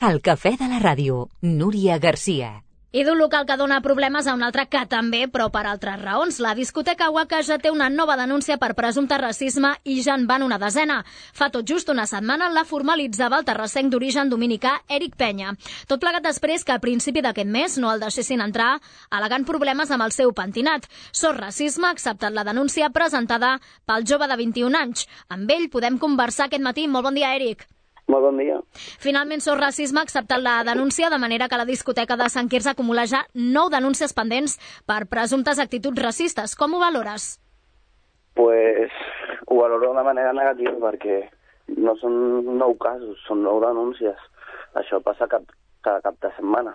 El cafè de la ràdio, Núria Garcia. I d'un local que dona problemes a un altre que també, però per altres raons. La discoteca Waka ja té una nova denúncia per presumpte racisme i ja en van una desena. Fa tot just una setmana la formalitzava el terrassenc d'origen dominicà Eric Penya. Tot plegat després que a principi d'aquest mes no el deixessin entrar, al·legant problemes amb el seu pentinat. Sos racisme ha acceptat la denúncia presentada pel jove de 21 anys. Amb ell podem conversar aquest matí. Molt bon dia, Eric. Molt bon dia. Finalment, Sos Racisme ha acceptat la denúncia, de manera que la discoteca de Sant Quirze acumula ja 9 denúncies pendents per presumptes actituds racistes. Com ho valores? Pues ho valoro de manera negativa perquè no són 9 casos, són 9 denúncies. Això passa cada cap de setmana.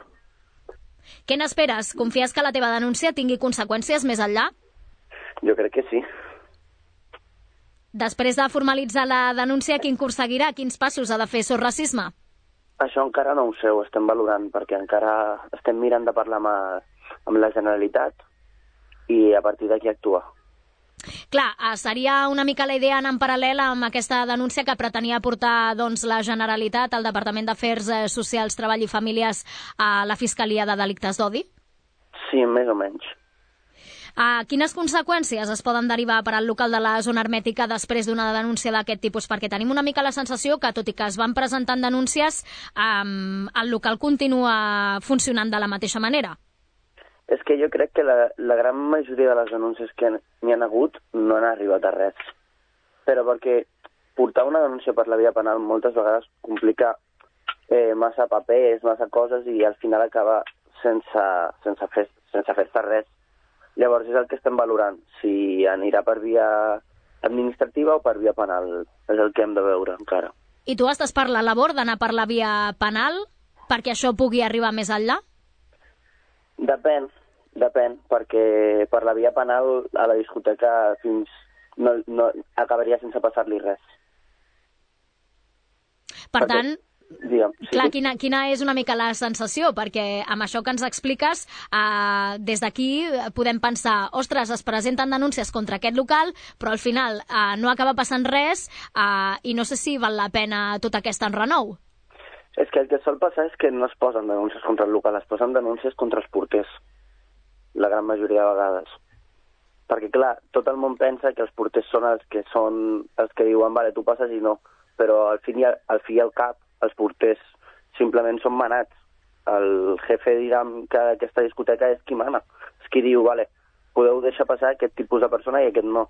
Què n'esperes? Confies que la teva denúncia tingui conseqüències més enllà? Jo crec que sí. Després de formalitzar la denúncia, quin curs seguirà? Quins passos ha de fer Sos Racisme? Això encara no ho sé, ho estem valorant, perquè encara estem mirant de parlar amb la Generalitat i a partir d'aquí actuar. Clar, seria una mica la idea anar en paral·lel amb aquesta denúncia que pretenia portar la Generalitat, al Departament d'Afers Socials, Treball i Famílies, a la Fiscalia de Delictes d'Odi? Sí, més o menys. Quines conseqüències es poden derivar per al local de la zona hermètica després d'una denúncia d'aquest tipus? Perquè tenim una mica la sensació que, tot i que es van presentant denúncies, el local continua funcionant de la mateixa manera. És que jo crec que la gran majoria de les denúncies que n'hi ha hagut no han arribat a res. Però perquè portar una denúncia per la via penal moltes vegades complica massa papers, massa coses, i al final acaba sense fer-se res. Llavors és el que estem valorant, si anirà per via administrativa o per via penal. És el que hem de veure encara. I tu estàs per la labor d'anar per la via penal perquè això pugui arribar més enllà? Depèn, perquè per la via penal a la discoteca no acabaria sense passar-li res. Per tant, digue'm, sí. Clar, quina és una mica la sensació? Perquè amb això que ens expliques, des d'aquí podem pensar, ostres, es presenten denúncies contra aquest local, però al final no acaba passant res i no sé si val la pena tot aquest enrenou. És que el que sol passar és que no es posen denúncies contra el local, es posen denúncies contra els porters, la gran majoria de vegades. Perquè, clar, tot el món pensa que els porters són els que diuen, vale, tu passes i no, però al fi i al cap els porters simplement són manats. El jefe dirà que aquesta discoteca és qui mana. És qui diu, vale, podeu deixar passar aquest tipus de persona i aquest no.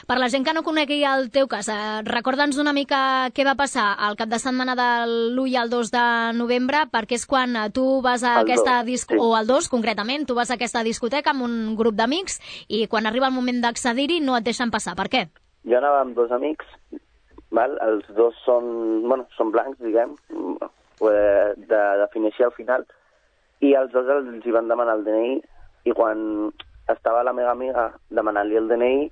Per la gent que no conegui el teu cas, recorda'ns una mica què va passar al cap de setmana de l'1 i el 2 de novembre, perquè és quan tu vas a aquesta discoteca, o el 2 concretament, tu vas a aquesta discoteca amb un grup d'amics i quan arriba el moment d'accedir-hi no et deixen passar. Per què? Jo anava amb 2 amics, val? Els 2 són blancs, diguem, de definició al final, i els 2 els hi van demanar el DNI, i quan estava la meva amiga demanant-li el DNI,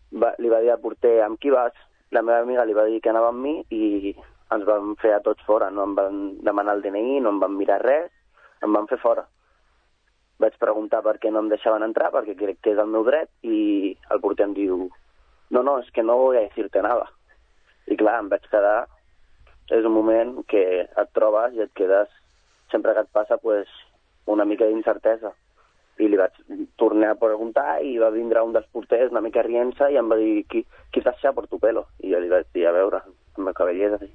li va dir al porter, amb qui vas? La meva amiga li va dir que anava amb mi i ens van fer a tots fora, no em van demanar el DNI, no em van mirar res, em van fer fora. Vaig preguntar per què no em deixaven entrar, perquè crec que és el meu dret, i el porter em diu, no, és que no voy a decirte nada. I clar, em vaig quedar, és un moment que et trobes i et quedes, sempre que et passa, una mica d'incertesa. I li vaig tornar a preguntar i va vindre un dels porters una mica rient-se i em va dir, qui t'ha por tu pelo? I jo li vaig dir, a veure, amb el cabellet així.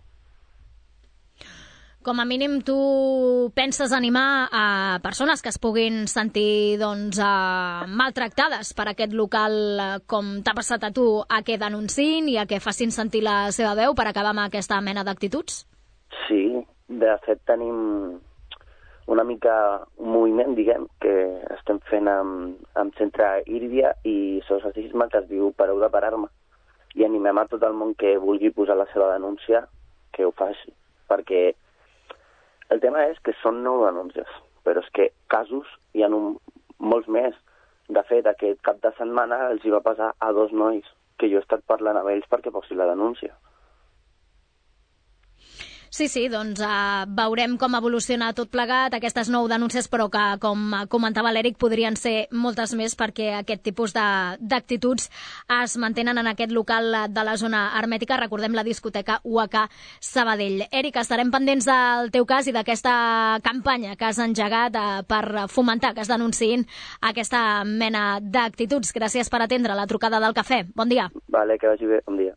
Com a mínim tu penses animar a persones que es puguin sentir maltractades per aquest local, com t'ha passat a tu, a que denunciïn i a que facin sentir la seva veu per acabar amb aquesta mena d'actituds? Sí, de fet tenim una mica un moviment, diguem, que estem fent amb Centre Írdia i Sos Racisme, que es diu Pareu de parar-me. I animem a tot el món que vulgui posar la seva denúncia que ho faci, perquè el tema és que són 9 denúncies, però és que casos hi ha molts més. De fet, aquest cap de setmana els hi va passar a 2 nois, que jo he estat parlant amb ells perquè posi la denúncia. Sí, doncs veurem com evoluciona tot plegat, aquestes 9 denúncies, però que, com comentava l'Eric, podrien ser moltes més perquè aquest tipus d'actituds es mantenen en aquest local de la zona hermètica, recordem la discoteca UAK Sabadell. Eric, estarem pendents del teu cas i d'aquesta campanya que has engegat per fomentar que es denunciïn aquesta mena d'actituds. Gràcies per atendre la trucada del cafè. Bon dia. Vale, que vagi bé. Bon dia.